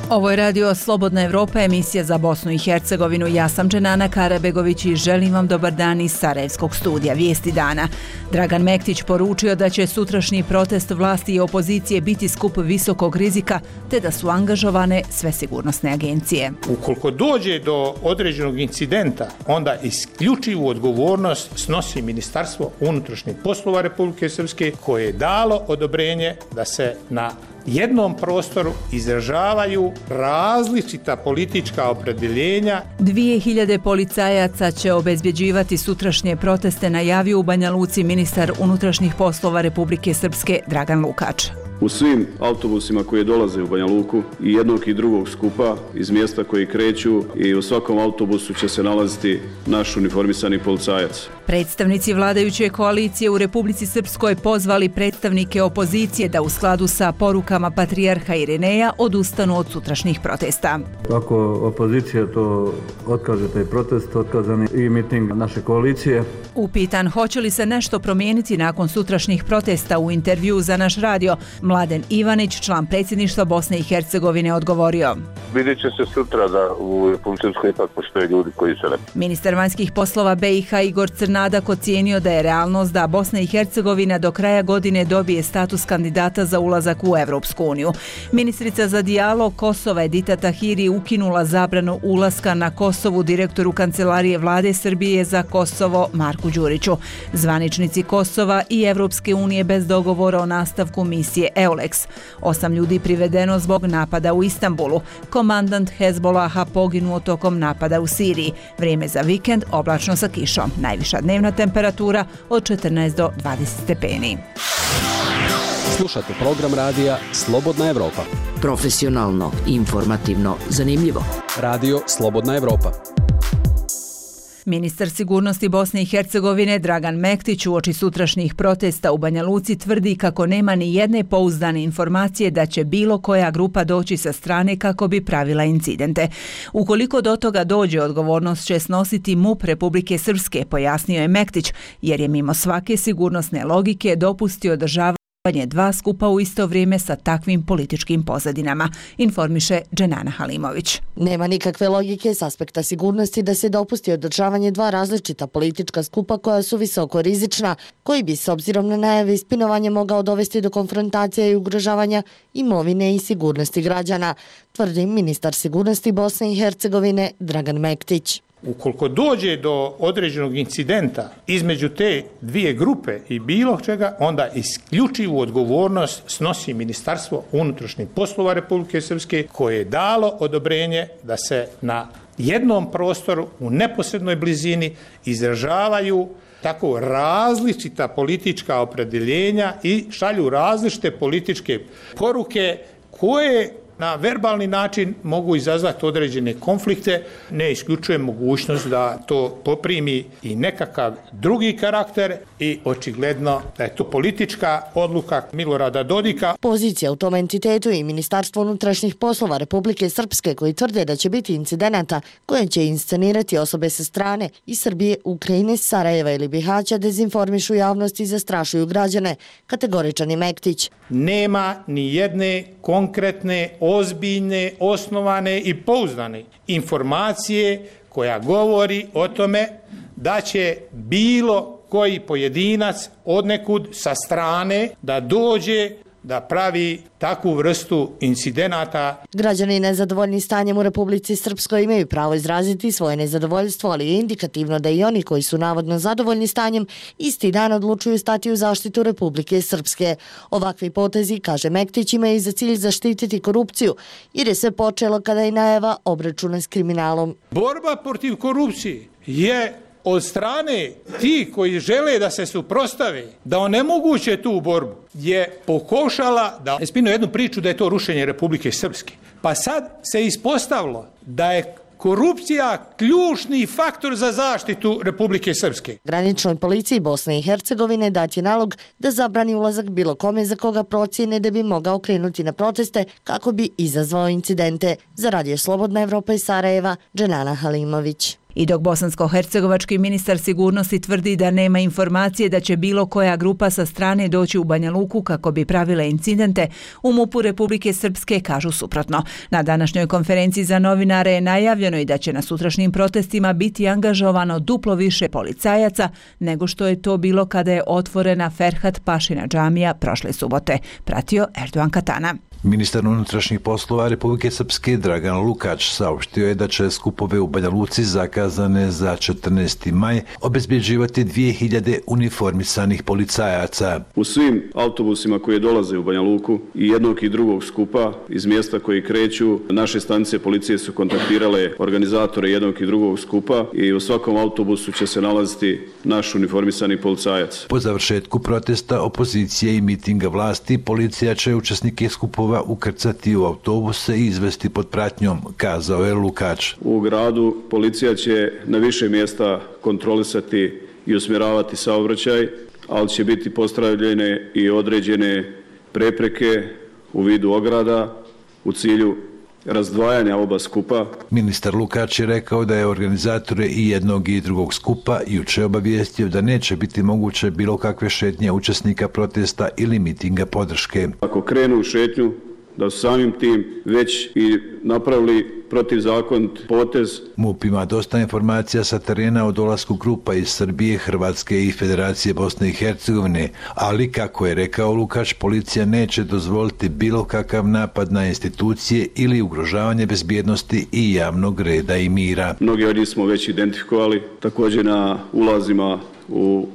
Ovo je radio Slobodna Evropa, emisija za Bosnu i Hercegovinu. Ja sam Dženana Karabegović i želim vam dobar dan iz Sarajevskog studija. Vijesti dana. Dragan Mektić poručio da će sutrašnji protest vlasti i opozicije biti skup visokog rizika, te da su angažovane sve sigurnosne agencije. Ukoliko dođe do određenog incidenta, onda isključivu odgovornost snosi Ministarstvo unutrašnjih poslova Republike Srpske, koje je dalo odobrenje da se na jednom prostoru izražavaju različita politička opredjeljenja. 2000 policajaca će obezbjeđivati sutrašnje proteste, najavio u Banja Luci ministar unutrašnjih poslova Republike Srpske Dragan Lukač. U svim autobusima koji dolaze u Banja Luku i jednog i drugog skupa iz mjesta koji kreću i u svakom autobusu će se nalaziti naš uniformisani policajac. Predstavnici vladajuće koalicije u Republici Srpskoj pozvali predstavnike opozicije da u skladu sa porukama patrijarha Irineja odustanu od sutrašnjih protesta. Ako opozicija to otkaže, taj protest, otkazan je i miting naše koalicije. Upitan hoće li se nešto promijeniti nakon sutrašnjih protesta, u intervju za naš radio, Mladen Ivanić, član predsjedništva Bosne i Hercegovine, odgovorio: Vidjet će se sutra da u Republici Srpskoj ipak postoje ljudi koji se ne... Ministar vanjskih poslova BiH Igor Crnadak ocijenio da je realnost da Bosna i Hercegovina do kraja godine dobije status kandidata za ulazak u Evropsku uniju. Ministrica za dijalog Kosova Edita Tahiri ukinula zabranu ulaska na Kosovu direktoru Kancelarije vlade Srbije za Kosovo Marku Đuriću. Zvaničnici Kosova i Evropske unije bez dogovora o nastavku misije EULEX. 8 ljudi privedeno zbog napada u Istanbulu. Komandant Hezbolaha poginuo tokom napada u Siriji. Vrijeme za vikend oblačno sa kišom. Najviša dnevna temperatura od 14 do 20 stepeni. Slušate program radija Slobodna Evropa. Profesionalno, informativno, zanimljivo. Radio Slobodna Evropa. Ministar sigurnosti Bosne i Hercegovine Dragan Mektić uoči sutrašnjih protesta u Banja Luci tvrdi kako nema ni jedne pouzdane informacije da će bilo koja grupa doći sa strane kako bi pravila incidente. Ukoliko do toga dođe, odgovornost će snositi MUP Republike Srpske, pojasnio je Mektić, jer je mimo svake sigurnosne logike dopustio održavanje 2 skupa u isto vrijeme sa takvim političkim pozadinama, informiše Dženana Halimović. Nema nikakve logike s aspekta sigurnosti da se dopusti održavanje 2 različita politička skupa koja su visoko rizična, koji bi s obzirom na najave ispinovanja mogao dovesti do konfrontacija i ugrožavanja imovine i sigurnosti građana, tvrdi ministar sigurnosti Bosne i Hercegovine Dragan Mektić. Ukoliko dođe do određenog incidenta između te dvije grupe i bilo čega, onda isključivu odgovornost snosi Ministarstvo unutrašnjih poslova Republike Srpske, koje je dalo odobrenje da se na jednom prostoru u neposrednoj blizini izražavaju tako različita politička opredjeljenja i šalju različite političke poruke koje na verbalni način mogu izazvati određene konflikte. Ne isključuje mogućnost da to poprimi i nekakav drugi karakter i očigledno da je to politička odluka Milorada Dodika. Pozicija u tom entitetu i Ministarstvo unutrašnjih poslova Republike Srpske, koji tvrde da će biti incidenata koje će inscenirati osobe sa strane iz Srbije, Ukrajine, Sarajeva ili Bihaća, dezinformišu javnost i zastrašuju građane, kategoričan je Mektić. Nema ni jedne konkretne, ozbiljne, osnovane i pouzdane informacije koja govori o tome da će bilo koji pojedinac odnekud sa strane da dođe da pravi takvu vrstu incidenata. Građani nezadovoljni stanjem u Republici Srpskoj imaju pravo izraziti svoje nezadovoljstvo, ali je indikativno da i oni koji su navodno zadovoljni stanjem isti dan odlučuju stati u zaštitu Republike Srpske. Ovakvi potezi, kaže Mektić, imaju za cilj zaštititi korupciju, jer je sve počelo kada je najava obračuna s kriminalom. Borba protiv korupcije je od strane ti koji žele da se suprostave, da onemoguće tu borbu, je pokušala da ispinu jednu priču da je to rušenje Republike Srpske. Pa sad se ispostavilo da je korupcija ključni faktor za zaštitu Republike Srpske. Graničnoj policiji Bosne i Hercegovine dat je nalog da zabrani ulazak bilo kome za koga procijene da bi mogao krenuti na proteste kako bi izazvao incidente. Za radio Slobodna Evropa iz Sarajeva, Dženana Halimović. I dok bosansko-hercegovački ministar sigurnosti tvrdi da nema informacije da će bilo koja grupa sa strane doći u Banja Luku kako bi pravile incidente, u MUP-u Republike Srpske kažu suprotno. Na današnjoj konferenciji za novinare je najavljeno i da će na sutrašnjim protestima biti angažovano duplo više policajaca nego što je to bilo kada je otvorena Ferhat Pašina džamija prošle subote, pratio Erdogan Katana. Ministar unutrašnjih poslova Republike Srpske Dragan Lukač saopštio je da će skupove u Banja Luci zakazane za 14. maj obezbjeđivati 2000 uniformisanih policajaca. U svim autobusima koji dolaze u Banja Luku i jednog i drugog skupa iz mjesta koji kreću, naše stanice policije su kontaktirale organizatore jednog i drugog skupa i u svakom autobusu će se nalaziti naš uniformisani policajac. Po završetku protesta opozicije i mitinga vlasti, policija će učesnike skupova ukrcati u autobuse i izvesti pod pratnjom, kazao je Lukač. U gradu policija će na više mjesta kontrolisati i usmjeravati saobraćaj, ali će biti postavljene i određene prepreke u vidu ograda u cilju razdvajanja oba skupa. Ministar Lukač je rekao da je organizatore i jednog i drugog skupa jučer obavijestio da neće biti moguće bilo kakve šetnje učesnika protesta ili mitinga podrške. Ako krenu u šetnju, da su samim tim već i napravili protivzakonit potez. MUP ima dosta informacija sa terena o dolasku grupa iz Srbije, Hrvatske i Federacije Bosne i Hercegovine, ali kako je rekao Lukač, policija neće dozvoliti bilo kakav napad na institucije ili ugrožavanje bezbjednosti i javnog reda i mira. Mnogi od njih smo već identifikovali, također na ulazima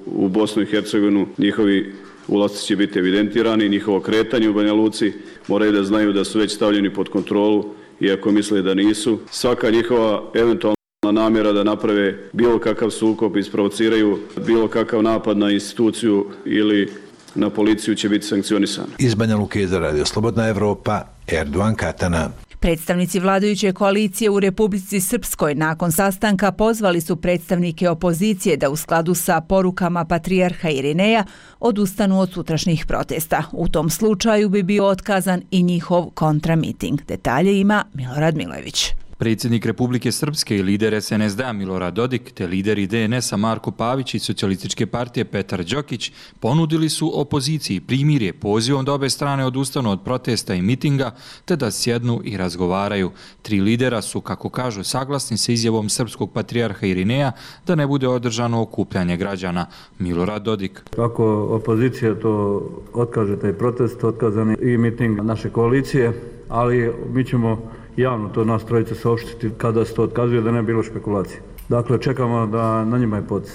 u Bosnu i Hercegovinu njihovi ulasci će biti evidentirani, njihovo kretanje u Banja Luci moraju da znaju da su već stavljeni pod kontrolu, iako misle da nisu. Svaka njihova eventualna namjera da naprave bilo kakav sukob, isprovociraju bilo kakav napad na instituciju ili na policiju će biti sankcionisana. Iz Banja Luke za Radio Slobodna Evropa, Erdogan Katana. Predstavnici vladajuće koalicije u Republici Srpskoj nakon sastanka pozvali su predstavnike opozicije da u skladu sa porukama patrijarha Irineja odustanu od sutrašnjih protesta. U tom slučaju bi bio otkazan i njihov kontramiting. Detalje ima Milorad Milojević. Predsjednik Republike Srpske i lider SNSD-a Milorad Dodik te lideri DNS-a Marko Pavić i Socijalističke partije Petar Đokić ponudili su opoziciji primirje pozivom da obe strane odustanu od protesta i mitinga te da sjednu i razgovaraju. Tri lidera su, kako kažu, saglasni sa izjavom srpskog patrijarha Irineja da ne bude održano okupljanje građana. Milorad Dodik. Ako opozicija to otkaže taj protest, otkazani i miting naše koalicije, ali mi ćemo javno to nas trojice saopštiti kada se to otkazuje, da ne bilo špekulacije. Dakle, čekamo da na njima je potez,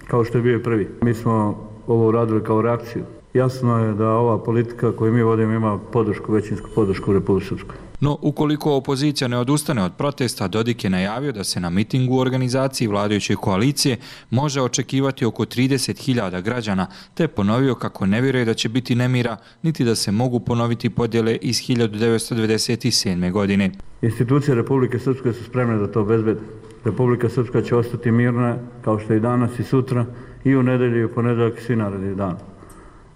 kao što je bio prvi. Mi smo ovo uradili kao reakciju. Jasno je da ova politika koju mi vodimo ima podršku, većinsku podršku u Republici Srpskoj. No, ukoliko opozicija ne odustane od protesta, Dodik je najavio da se na mitingu u organizaciji vladajuće koalicije može očekivati oko 30.000 građana, te ponovio kako ne vjeruje da će biti nemira, niti da se mogu ponoviti podjele iz 1997. godine. Institucije Republike Srpske su spremne da to obezbede. Republika Srpska će ostati mirna, kao što i danas i sutra, i u nedelju i u ponedeljak i svi naredni dan.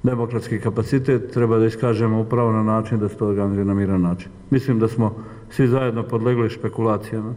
Demokratski kapacitet treba da iskažemo upravo na način da se to organizuje na miran način. Mislim da smo svi zajedno podlegli špekulacijama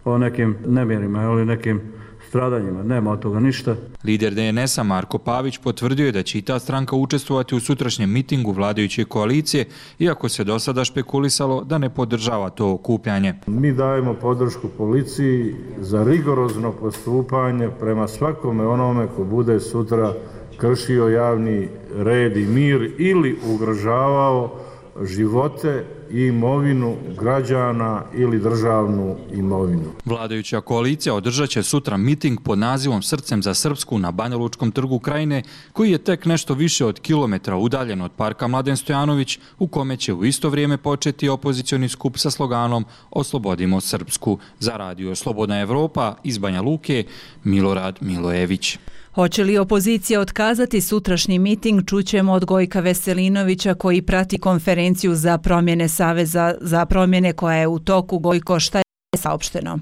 o nekim nemirima ili nekim stradanjima. Nema od toga ništa. Lider DNS-a Marko Pavić potvrdio je da će i ta stranka učestvovati u sutrašnjem mitingu vladajuće koalicije, iako se do sada špekulisalo da ne podržava to okupljanje. Mi dajemo podršku policiji za rigorozno postupanje prema svakome onome ko bude sutra kršio javni red i mir ili ugrožavao živote i imovinu građana ili državnu imovinu. Vladajuća koalicija održat će sutra miting pod nazivom Srcem za Srpsku na Banjalučkom trgu Krajine, koji je tek nešto više od kilometra udaljen od parka Mladen Stojanović, u kome će u isto vrijeme početi opozicioni skup sa sloganom Oslobodimo Srpsku. Za Radio Slobodna Evropa iz Banja Luke, Milorad Milojević. Hoće li opozicija otkazati sutrašnji miting, čućemo od Gojka Veselinovića koji prati konferenciju za promjene Saveza za promjene koja je u toku. Gojko, šta je saopšteno?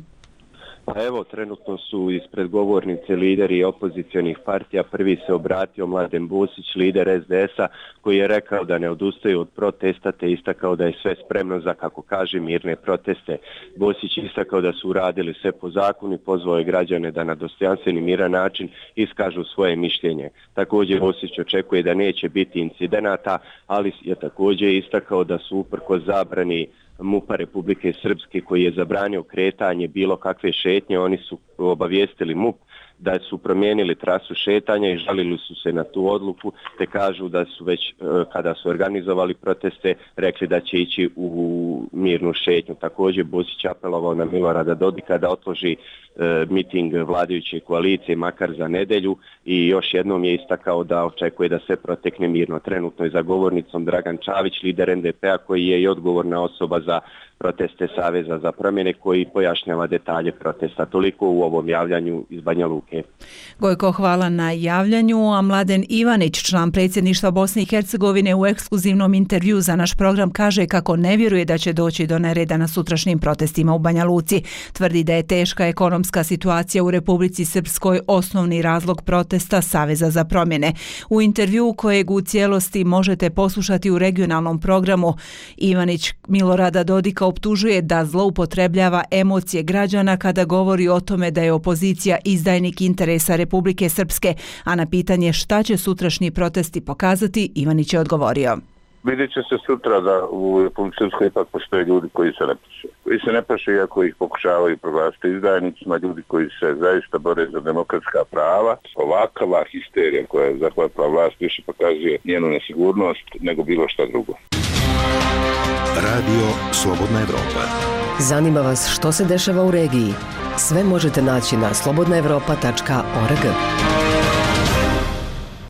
Pa evo, trenutno su ispred govornice lideri opozicionih partija. Prvi se obratio Mladen Bosić, lider SDS-a, koji je rekao da ne odustaju od protesta, te istakao da je sve spremno za, kako kaže, mirne proteste. Bosić istakao da su uradili sve po zakonu i pozvao je građane da na dostojanstven i miran način iskažu svoje mišljenje. Također Bosić očekuje da neće biti incidenata, ali je također istakao da su uprkos zabrani MUP-a Republike Srpske, koji je zabranio kretanje bilo kakve šetnje, oni su obavijestili MUP da su promijenili trasu šetanja i žalili su se na tu odluku, te kažu da su već kada su organizovali proteste rekli da će ići u mirnu šetnju. Također Bosić apelovao na Milorada Dodika da otloži miting vladajuće koalicije makar za nedelju i još jednom je istakao da očekuje da sve protekne mirno. Trenutno je za govornicom Dragan Čavić, lider NDP-a, koji je i odgovorna osoba za proteste Saveza za promjene, koji pojašnjava detalje protesta. Toliko u ovom javljanju iz Banja Luke. Gojko, hvala na javljanju. A Mladen Ivanić, član predsjedništva Bosne i Hercegovine, u ekskluzivnom intervju za naš program kaže kako ne vjeruje da će doći do nereda na sutrašnjim protestima u Banja Luci. Tvrdi da je teška ekonomska situacija u Republici Srpskoj osnovni razlog protesta Saveza za promjene. U intervju kojeg u cijelosti možete poslušati u regionalnom programu, Ivanić Milorada Dodika optužuje da zloupotrebljava emocije građana kada govori o tome da je opozicija izdajnik interesa Republike Srpske, a na pitanje šta će sutrašnji protesti pokazati, Ivanić je odgovorio. Vidjet će se sutra da u Republici Srpskoj ipak postoje ljudi koji se ne plaše. Koji se ne plaše iako ih pokušavaju proglasiti izdajnicima, ljudi koji se zaista bore za demokratska prava. Ovakva histerija koja je zahvatila vlast više pokazuje njenu nesigurnost nego bilo šta drugo. Radio Slobodna Evropa. Zanima vas što se dešava u regiji? Sve možete naći na slobodnaevropa.org.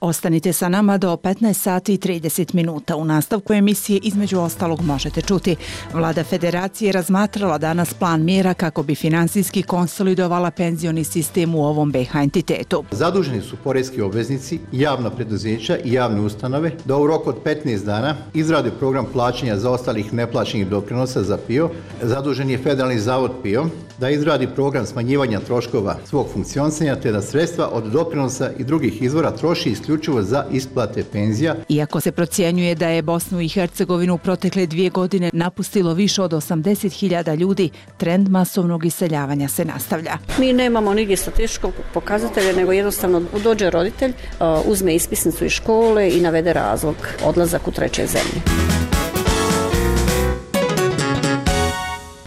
Ostanite sa nama do 15 sati i 30 minuta. U nastavku emisije između ostalog možete čuti. Vlada Federacije razmatrala danas plan mjera kako bi finansijski konsolidovala penzioni sistem u ovom BiH entitetu. Zaduženi su poreski obveznici, javna preduzeća i javne ustanove da u roku od 15 dana izrade program plaćanja zaostalih neplaćenih doprinosa za PIO. Zadužen je Federalni zavod PIO da izradi program smanjivanja troškova svog funkcionisanja te da sredstva od doprinosa i drugih izvora troši isključivo za isplate penzija. Iako se procjenjuje da je Bosnu i Hercegovinu u protekle 2 godine napustilo više od 80.000 ljudi, trend masovnog iseljavanja se nastavlja. Mi nemamo nigdje statističkog pokazatelja, nego jednostavno dođe roditelj, uzme ispisnicu iz škole i navede razlog, odlazak u treće zemlje.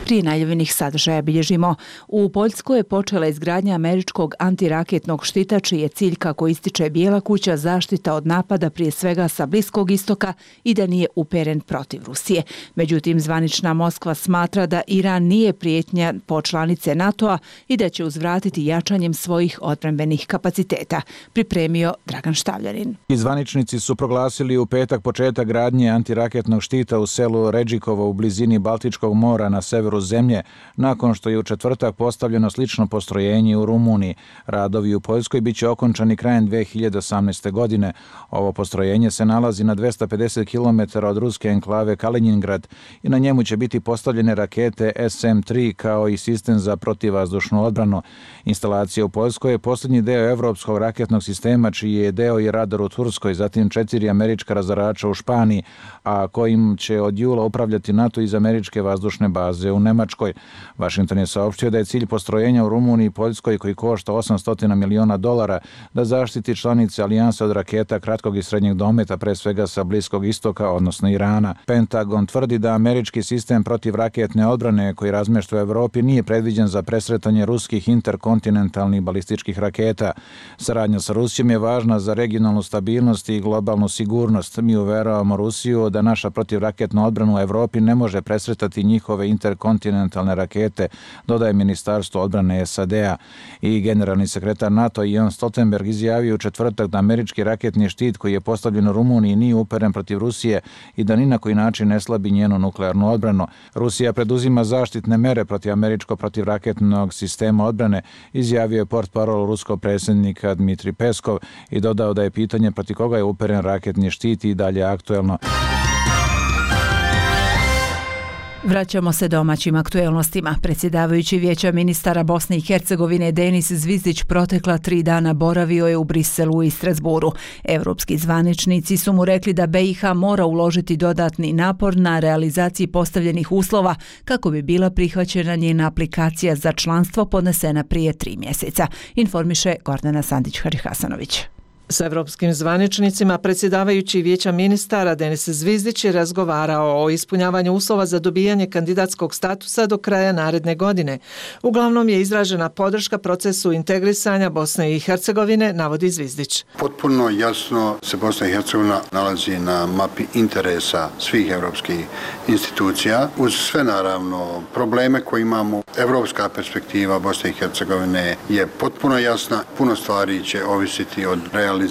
Prije najavljenih sadržaja bilježimo. U Poljskoj je počela izgradnja američkog antiraketnog štita, čiji je cilj, kako ističe Bijela kuća, zaštita od napada prije svega sa Bliskog istoka i da nije uperen protiv Rusije. Međutim, zvanična Moskva smatra da Iran nije prijetnja po članice NATO-a i da će uzvratiti jačanjem svojih odbrambenih kapaciteta. Pripremio Dragan Štavljanin. Zvaničnici su proglasili u petak početak gradnje antiraketnog štita u selu Redžikovo u blizini Baltičkog mora na severu zemlje, nakon što je u četvrtak postavljeno slično postrojenje u Rumuniji. Radovi u Poljskoj biće okončani krajem 2018. godine. Ovo postrojenje se nalazi na 250 km od ruske enklave Kaliningrad i na njemu će biti postavljene rakete SM-3 kao i sistem za protivvazdušnu odbranu. Instalacija u Poljskoj je posljednji deo evropskog raketnog sistema, čiji je deo i radar u Turskoj, zatim 4 američka razarača u Španiji, a kojim će od jula upravljati NATO iz američke vazdušne baze u Nemačkoj. Washington je saopštio da je cilj postrojenja u Rumuniji i Poljskoj, koji košta $800 miliona, da zaštiti članice alijanse od raketa kratkog i srednjeg dometa, pre svega sa Bliskog istoka, odnosno Irana. Pentagon tvrdi da američki sistem protivraketne odbrane koji razmješta u Evropi nije predviđen za presretanje ruskih interkontinentalnih balističkih raketa. Saradnja sa Rusijom je važna za regionalnu stabilnost i globalnu sigurnost. Mi uveravamo Rusiju da naša protivraketna odbrana u Evropi ne može presretati njihove interkontinentalne rakete, dodaje Ministarstvo odbrane SAD-a. I generalni sekretar NATO Jens Stoltenberg izjavio u četvrtak da američki raketni štit koji je postavljen u Rumuniji nije uperen protiv Rusije i da ni na koji način ne slabi njenu nuklearnu odbranu. Rusija preduzima zaštitne mere protiv američkog protivraketnog sistema odbrane, izjavio je portparol ruskog predsjednika Dmitrij Peskov i dodao da je pitanje protiv koga je uperen raketni štit i dalje aktuelno. Vraćamo se domaćim aktuelnostima. Predsjedavajući Vijeća ministara Bosne i Hercegovine Denis Zvizdić protekla 3 dana boravio je u Briselu i Strasburu. Evropski zvaničnici su mu rekli da BiH mora uložiti dodatni napor na realizaciji postavljenih uslova kako bi bila prihvaćena njena aplikacija za članstvo podnesena prije 3 mjeseca, informiše Gordana Sandić-Hadžihasanović. S evropskim zvaničnicima predsjedavajući Vijeća ministara Denis Zvizdić je razgovarao o ispunjavanju uslova za dobijanje kandidatskog statusa do kraja naredne godine. Uglavnom je izražena podrška procesu integrisanja Bosne i Hercegovine, navodi Zvizdić. Potpuno jasno se Bosna i Hercegovina nalazi na mapi interesa svih evropskih institucija. Uz sve naravno probleme koje imamo, evropska perspektiva Bosne i Hercegovine je potpuno jasna. Puno stvari će ovisiti od realizacije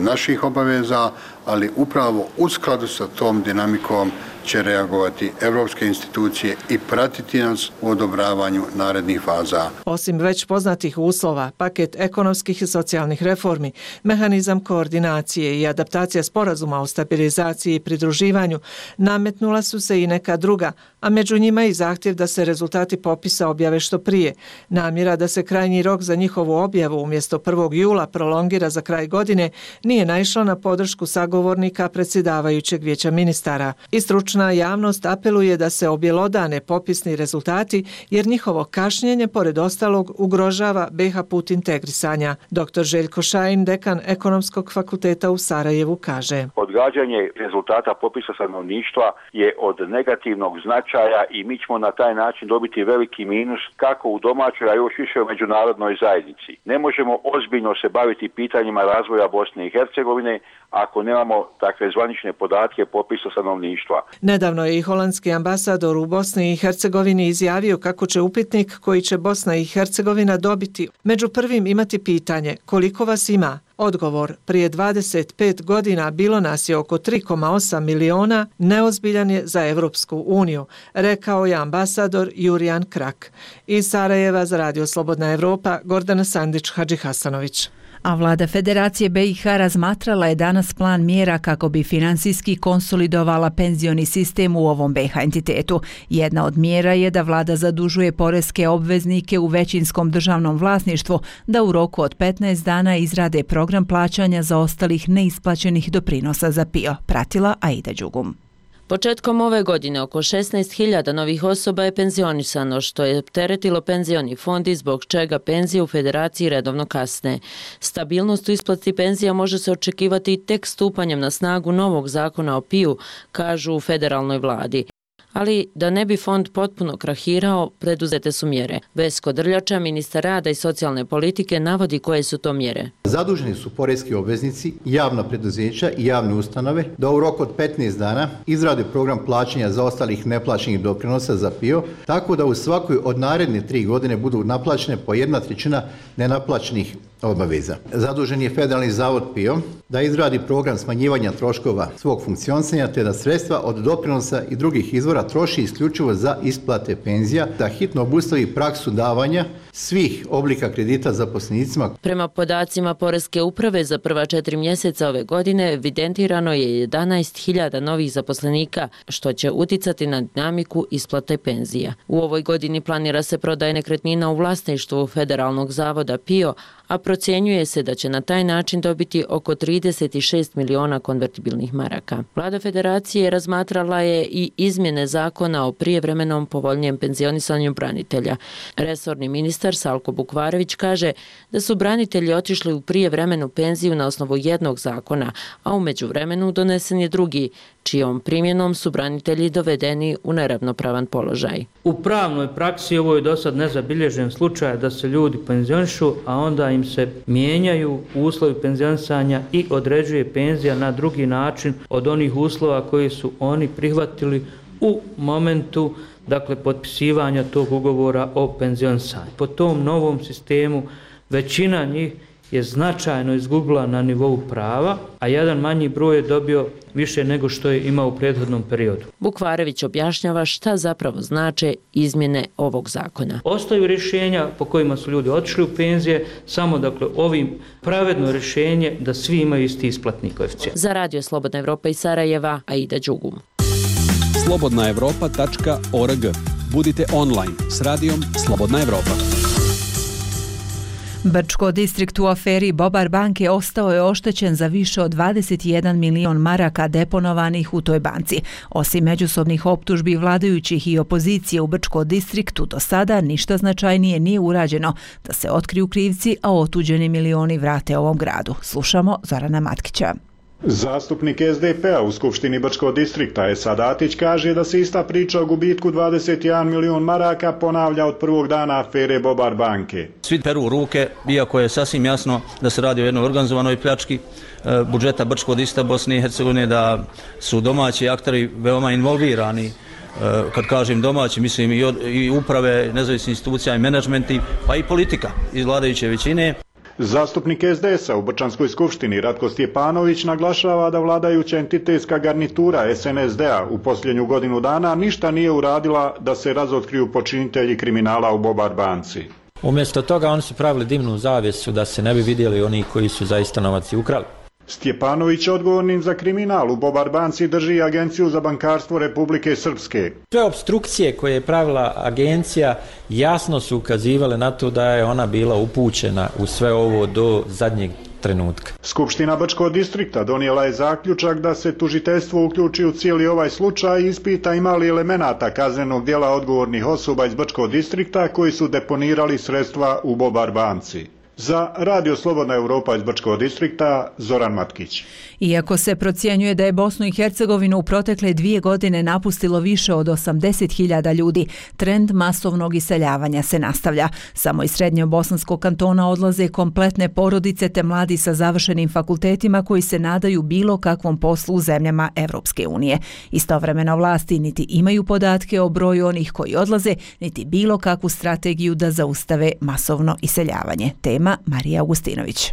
naših obaveza, ali upravo u skladu sa tom dinamikom će reagovati evropske institucije i pratiti nas u odobravanju narednih faza. Osim već poznatih uslova, paket ekonomskih i socijalnih reformi, mehanizam koordinacije i adaptacija sporazuma o stabilizaciji i pridruživanju, nametnula su se i neka druga, a među njima i zahtjev da se rezultati popisa objave što prije. Namjera da se krajnji rok za njihovu objavu umjesto 1. jula prolongira za kraj godine nije naišla na podršku sagovornika predsjedavajućeg Vijeća ministara. I stručna javnost apeluje da se objelodane popisni rezultati jer njihovo kašnjenje pored ostalog ugrožava BiH put integrisanja. Dr. Željko Šajin, dekan Ekonomskog fakulteta u Sarajevu, kaže: Odgađanje rezultata popisa stanovništva je od negativnog značaja i mi ćemo na taj način dobiti veliki minus kako u domaćoj, a još više u međunarodnoj zajednici. Ne možemo ozbiljno se baviti pitanjima razvoja Bosne i Hercegovine ako nemamo takve zvanične podatke popisa stanovništva. Nedavno je i holandski ambasador u Bosni i Hercegovini izjavio kako će upitnik koji će Bosna i Hercegovina dobiti među prvim imati pitanje koliko vas ima. Odgovor: prije 25 godina bilo nas je oko 3,8 miliona, neozbiljan je za Evropsku uniju, rekao je ambasador Jurijan Krak. Iz Sarajeva za Radio Slobodna Evropa, Gordana Sandić-Hadžihasanović. A vlada Federacije BiH razmatrala je danas plan mjera kako bi finansijski konsolidovala penzioni sistem u ovom BiH entitetu. Jedna od mjera je da vlada zadužuje poreske obveznike u većinskom državnom vlasništvu da u roku od 15 dana izrade program plaćanja za ostalih neisplaćenih doprinosa za PIO, pratila Aida Đugum. Početkom ove godine oko 16.000 novih osoba je penzionisano, što je opteretilo penzioni fond i zbog čega penzije u Federaciji redovno kasne. Stabilnost u isplati penzija može se očekivati i tek stupanjem na snagu novog zakona o PIO, kažu u federalnoj vladi. Ali da ne bi fond potpuno krahirao, preduzete su mjere. Vesko Drljača, ministar rada i socijalne politike, navodi koje su to mjere. Zaduženi su poreski obveznici, javna preduzeća i javne ustanove da u roku od 15 dana izrade program plaćanja zaostalih neplaćenih doprinosa za PIO, tako da u svakoj od naredne 3 godine budu naplaćene po 1/3 nenaplaćenih obaveza. Zadužen je Federalni zavod PIO da izradi program smanjivanja troškova svog funkcionisanja te da sredstva od doprinosa i drugih izvora troši isključivo za isplate penzija, da hitno obustavi praksu davanja svih oblika kredita zaposlenicima. Prema podacima Poreske uprave za prva 4 mjeseca ove godine evidentirano je 11.000 novih zaposlenika, što će uticati na dinamiku isplate penzija. U ovoj godini planira se prodaja nekretnina u vlasništvu Federalnog zavoda PIO, a procjenjuje se da će na taj način dobiti oko 36 miliona konvertibilnih maraka. Vlada Federacije razmatrala je i izmjene zakona o prijevremenom povoljnijem penzionisanju branitelja. Resorni ministar Salko Bukvarević kaže da su branitelji otišli u prijevremenu penziju na osnovu jednog zakona, a u međuvremenu donesen je drugi, čijom primjenom su branitelji dovedeni u neravnopravan položaj. U pravnoj praksi ovo je dosad nezabilježen slučaj da se ljudi penzionišu, a onda im se mijenjaju uslovi penzionisanja i određuje penzija na drugi način od onih uslova koji su oni prihvatili u momentu potpisivanja tog ugovora o penzionisanju. Po tom novom sistemu većina njih je značajno izgubila na nivou prava, a jedan manji broj je dobio više nego što je imao u prethodnom periodu. Bukvarević objašnjava šta zapravo znače izmjene ovog zakona. Ostaju rješenja po kojima su ljudi otišli u penzije, samo ovim pravedno rješenje da svi imaju isti isplatni koeficijent. Za Radio Slobodna Evropa iz Sarajeva, Aida Đugum. slobodnaevropa.org. Budite online s radijom Slobodna Evropa. Brčko distrikt u aferi Bobar banke ostao je oštećen za više od 21 milion maraka deponovanih u toj banci. Osim međusobnih optužbi vladajućih i opozicije u Brčko distriktu, do sada ništa značajnije nije urađeno da se otkriju krivci, a otuđeni milioni vrate ovom gradu. Slušamo Zorana Matkića. Zastupnik SDP-a u Skupštini Brčkog distrikta Esad Atić kaže da se ista priča o gubitku 21 milion maraka ponavlja od prvog dana afere Bobar banke. Svi peru ruke, iako je sasvim jasno da se radi o jednoj organizovanoj pljački budžeta Brčkog distrikta Bosne i Hercegovine, da su domaći akteri veoma involvirani. Kad kažem domaći, mislim i uprave, nezavisnih institucija i menadžmenti, pa i politika iz vladajuće većine. Zastupnik SDS-a u Brčanskoj skupštini Ratko Stjepanović naglašava da vladajuća entitetska garnitura SNSD-a u posljednju godinu dana ništa nije uradila da se razotkriju počinitelji kriminala u Bobar banci. Umjesto toga oni su pravili dimnu zavjesu da se ne bi vidjeli oni koji su zaista novac i ukrali. Stjepanović odgovornim za kriminal u Bobar banci drži Agenciju za bankarstvo Republike Srpske. Sve opstrukcije koje je pravila agencija jasno su ukazivale na to da je ona bila upućena u sve ovo do zadnjeg trenutka. Skupština Brčkog distrikta donijela je zaključak da se tužiteljstvo uključi u cijeli ovaj slučaj i ispita ima li elemenata kaznenog djela odgovornih osoba iz Brčkog distrikta koji su deponirali sredstva u Bobar banci. Za Radio Slobodna Evropa iz Brčkog distrikta, Zoran Matkić. Iako se procjenjuje da je Bosnu i Hercegovinu u protekle 2 godine napustilo više od 80.000 ljudi, trend masovnog iseljavanja se nastavlja. Samo iz srednjobosanskog kantona odlaze kompletne porodice te mladi sa završenim fakultetima koji se nadaju bilo kakvom poslu u zemljama Evropske unije. Istovremeno vlasti niti imaju podatke o broju onih koji odlaze, niti bilo kakvu strategiju da zaustave masovno iseljavanje. Tema Marija Augustinović.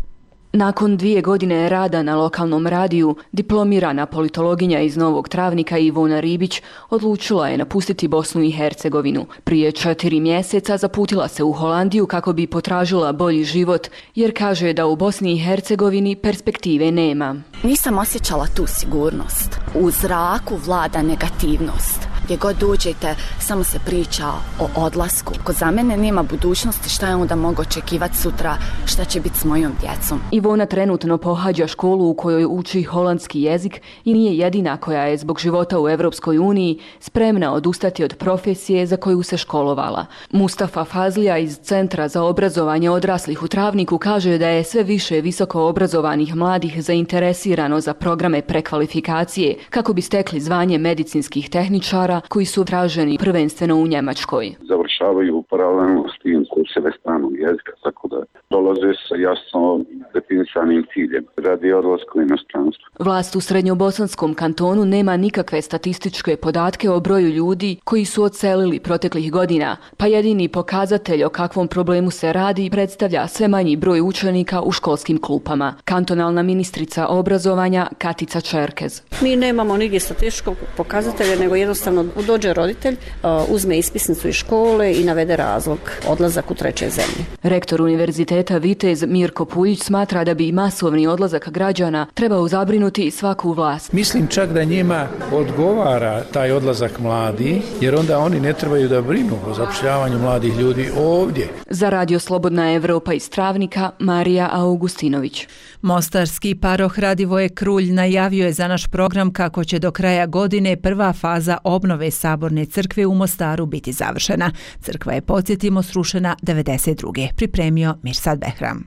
Nakon 2 godine rada na lokalnom radiju, diplomirana politologinja iz Novog Travnika Ivona Ribić odlučila je napustiti Bosnu i Hercegovinu. Prije 4 mjeseca zaputila se u Holandiju kako bi potražila bolji život, jer kaže da u Bosni i Hercegovini perspektive nema. Nisam osjećala tu sigurnost. U zraku vlada negativnost. Gdje god dođete, samo se priča o odlasku. Ko za mene nema budućnosti, šta je onda mogu očekivati sutra, šta će biti s mojom djecom. Ivona trenutno pohađa školu u kojoj uči holandski jezik i nije jedina koja je zbog života u Evropskoj uniji spremna odustati od profesije za koju se školovala. Mustafa Fazlija iz Centra za obrazovanje odraslih u Travniku kaže da je sve više visoko obrazovanih mladih zainteresirano za programe prekvalifikacije kako bi stekli zvanje medicinskih tehničara koji su traženi prvenstveno u Njemačkoj. Završavaju paralelno s tim kurseve stranog jezika, tako da dolaze sa jasno definisanim ciljem radi odlaska u inostranstvo. Vlast u srednjobosanskom kantonu nema nikakve statističke podatke o broju ljudi koji su odselili proteklih godina, pa jedini pokazatelj o kakvom problemu se radi predstavlja sve manji broj učenika u školskim klupama. Kantonalna ministrica obrazovanja Katica Čerkez. Mi nemamo nigdje statističkog pokazatelja, nego jednostavno dođe roditelj, uzme ispisnicu iz škole i navede razlog odlazak u treće zemlje. Rektor Univerziteta Vitez Mirko Puljić smatra da bi masovni odlazak građana trebao zabrinuti svaku vlast. Mislim čak da njima odgovara taj odlazak mladi, jer onda oni ne trebaju da brinu o zapošljavanju mladih ljudi ovdje. Za Radio Slobodna Evropa iz Travnika, Marija Augustinović. Mostarski paroh Radivoje Krulj najavio je za naš program kako će do kraja godine prva faza obnove Saborne crkve u Mostaru biti završena. Crkva je, podsjetimo, srušena 92. Pripremio Mirsad Behram.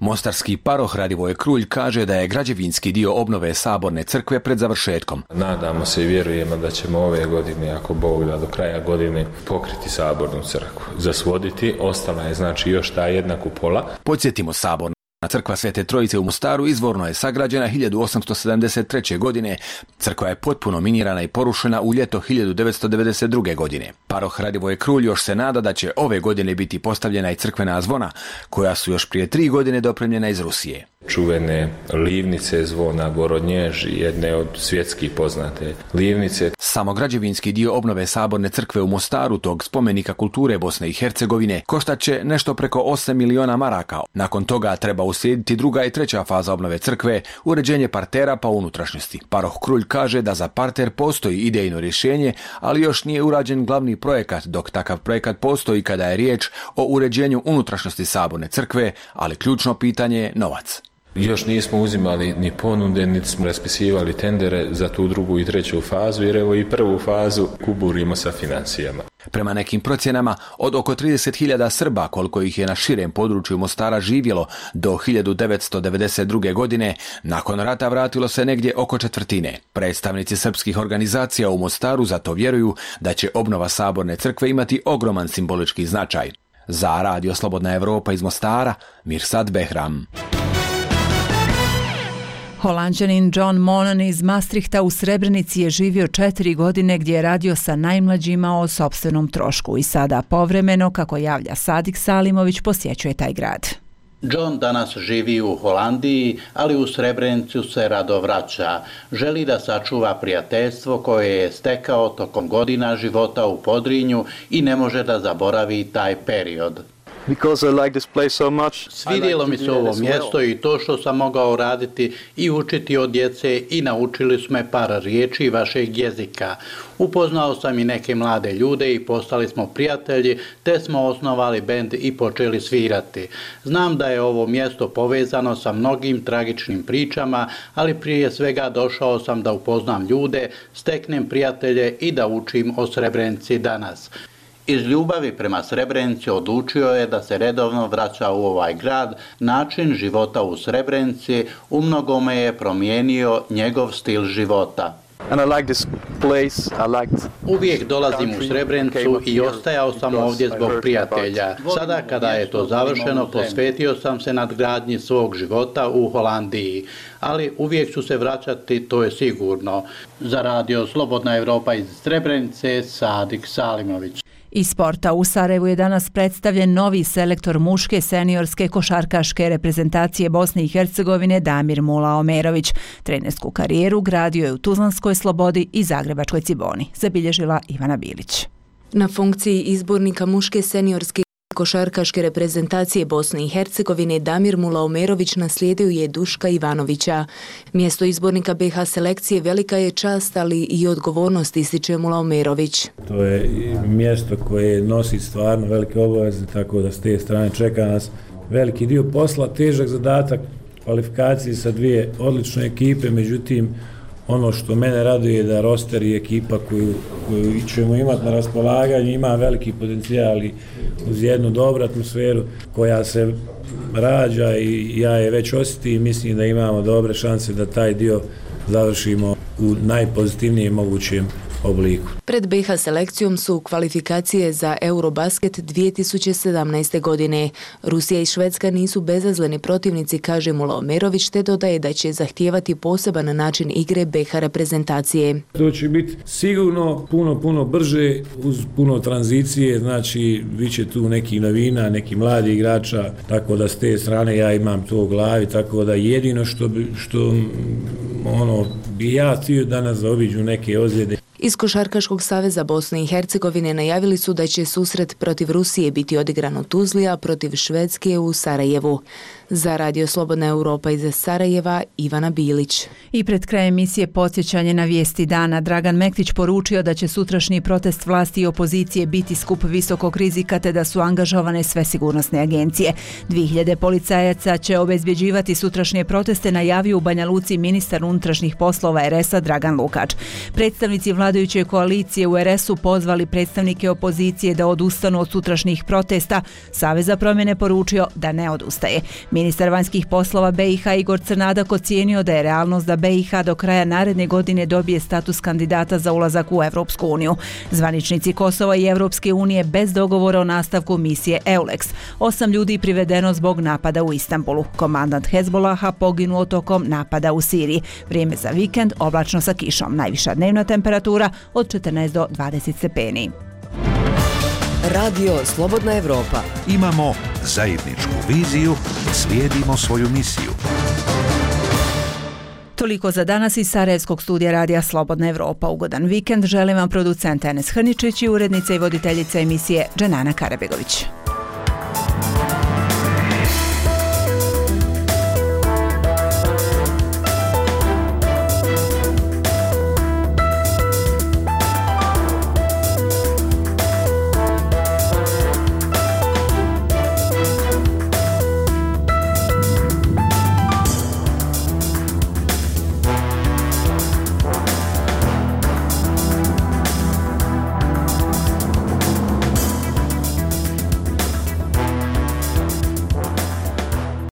Mostarski paroh Radivoje Krulj kaže da je građevinski dio obnove Saborne crkve pred završetkom. Nadamo se i vjerujemo da ćemo ove godine, ako Bog da, do kraja godine pokriti Sabornu crkvu. Zasvoditi, ostala je znači još ta jedna kupola. Podsjetimo, Saborna crkva Svete Trojice u Mostaru izvorno je sagrađena 1873. godine. Crkva je potpuno minirana i porušena u ljeto 1992. godine. Paroh Radivoje Krulj još se nada da će ove godine biti postavljena i crkvena zvona, koja su još prije 3 godine dopremljena iz Rusije. čuvene livnice zvona Gorodnjež, jedne od svjetskih poznate livnice. Samo građevinski dio obnove Saborne crkve u Mostaru, tog spomenika kulture Bosne i Hercegovine, koštaće nešto preko 8 miliona maraka. Nakon toga treba uslijediti druga i treća faza obnove crkve, uređenje partera pa unutrašnjosti. Paroh Krulj kaže da za parter postoji idejno rješenje, ali još nije urađen glavni projekat, dok takav projekat postoji kada je riječ o uređenju unutrašnjosti Saborne crkve, ali ključno pitanje je novac. Još nismo uzimali ni ponude, niti smo raspisivali tendere za tu drugu i treću fazu, jer evo i prvu fazu kuburimo sa financijama. Prema nekim procjenama, od oko 30.000 Srba, koliko ih je na širem području Mostara živjelo do 1992. godine, nakon rata vratilo se negdje oko četvrtine. Predstavnici srpskih organizacija u Mostaru zato vjeruju da će obnova Saborne crkve imati ogroman simbolički značaj. Za Radio Slobodna Evropa iz Mostara, Mirsad Behram. Holanđanin John Monon iz Maastrichta u Srebrenici je živio 4 godine gdje je radio sa najmlađima o sopstvenom trošku i sada povremeno, kako javlja Sadik Salimović, posjećuje taj grad. John danas živi u Holandiji, ali u Srebrenicu se rado vraća. Želi da sačuva prijateljstvo koje je stekao tokom godina života u Podrinju i ne može da zaboravi taj period. Svidjelo mi se ovo mjesto i to što sam mogao raditi i učiti od djece i naučili su me par riječi vašeg jezika. Upoznao sam i neke mlade ljude i postali smo prijatelji, te smo osnovali bend i počeli svirati. Znam da je ovo mjesto povezano sa mnogim tragičnim pričama, ali prije svega došao sam da upoznam ljude, steknem prijatelje i da učim o Srebrenici danas. Iz ljubavi prema Srebrenici odlučio je da se redovno vraća u ovaj grad. Način života u Srebrenici umnogome je promijenio njegov stil života. Uvijek dolazim u Srebrenicu i ostajao sam ovdje zbog prijatelja. Sada kada je to završeno, posvetio sam se nadgradnji svog života u Holandiji. Ali uvijek ću se vraćati, to je sigurno. Za Radio Slobodna Evropa iz Srebrenice, Sadik Salimović. Iz sporta u Sarajevu je danas predstavljen novi selektor muške seniorske košarkaške reprezentacije Bosne i Hercegovine Damir Mula Omerović. Trenersku karijeru gradio je u Tuzlanskoj Slobodi i Zagrebačkoj Ciboni, zabilježila Ivana Bilić. Na funkciji izbornika muške seniorske košarkaške reprezentacije Bosne i Hercegovine Damir Mula Omerović naslijedio je Duška Ivanovića. Mjesto izbornika BiH selekcije velika je čast, ali i odgovornost, ističe Mula Omerović. To je mjesto koje nosi stvarno velike obaveze, tako da s te strane čeka nas veliki dio posla, težak zadatak, kvalifikacije sa dvije odlične ekipe, međutim ono što mene raduje je da roster i ekipa koju ćemo imati na raspolaganju ima veliki potencijal i uz jednu dobru atmosferu koja se rađa i ja je već osjetim i mislim da imamo dobre šanse da taj dio završimo u najpozitivnijem mogućem obliku. Pred BiH selekcijom su kvalifikacije za Eurobasket 2017. godine. Rusija i Švedska nisu bezazleni protivnici, kaže Mula Omerović, te dodaje da će zahtijevati poseban način igre BiH reprezentacije. To će biti sigurno puno brže uz puno tranzicije, znači bit će tu neki novina, neki mladi igrača, tako da s te strane ja imam to u glavi, tako da jedino što bi ja htio danas zaobiđu neke ozljede. Iz Košarkaškog saveza Bosne i Hercegovine najavili su da će susret protiv Rusije biti odigran u Tuzli, a protiv Švedske u Sarajevu. Za Radio Slobodna Evropa iz Sarajeva, Ivana Bilić. I pred krajem emisije podsjećanje na vijesti dana. Dragan Mektić poručio da će sutrašnji protest vlasti i opozicije biti skup visokog rizika te da su angažovane sve sigurnosne agencije. 2000 policajaca će obezbjeđivati sutrašnje proteste, najavio u Banja Luci ministar unutrašnjih poslova RS-a Dragan Lukač. Predstavnici vladajuće koalicije u RS-u pozvali predstavnike opozicije da odustanu od sutrašnjih protesta. Savez za promjene poručio da ne odustaje. Ministar vanjskih poslova BiH Igor Crnadak ocijenio da je realnost da BiH do kraja naredne godine dobije status kandidata za ulazak u Evropsku uniju. Zvaničnici Kosova i Evropske unije bez dogovora o nastavku misije EULEX. 8 ljudi privedeno zbog napada u Istanbulu. Komandant Hezbolaha poginuo tokom napada u Siriji. Vrijeme za vikend oblačno sa kišom. Najviša dnevna temperatura od 14 do 20 stepeni. Radio Slobodna Evropa. Imamo zajedničku viziju, slijedimo svoju misiju. Toliko za danas iz Sarajevskog studija Radija Slobodna Evropa. Ugodan vikend želim vam producent Enes Hrničić i urednica i voditeljica emisije Dženana Karabegović.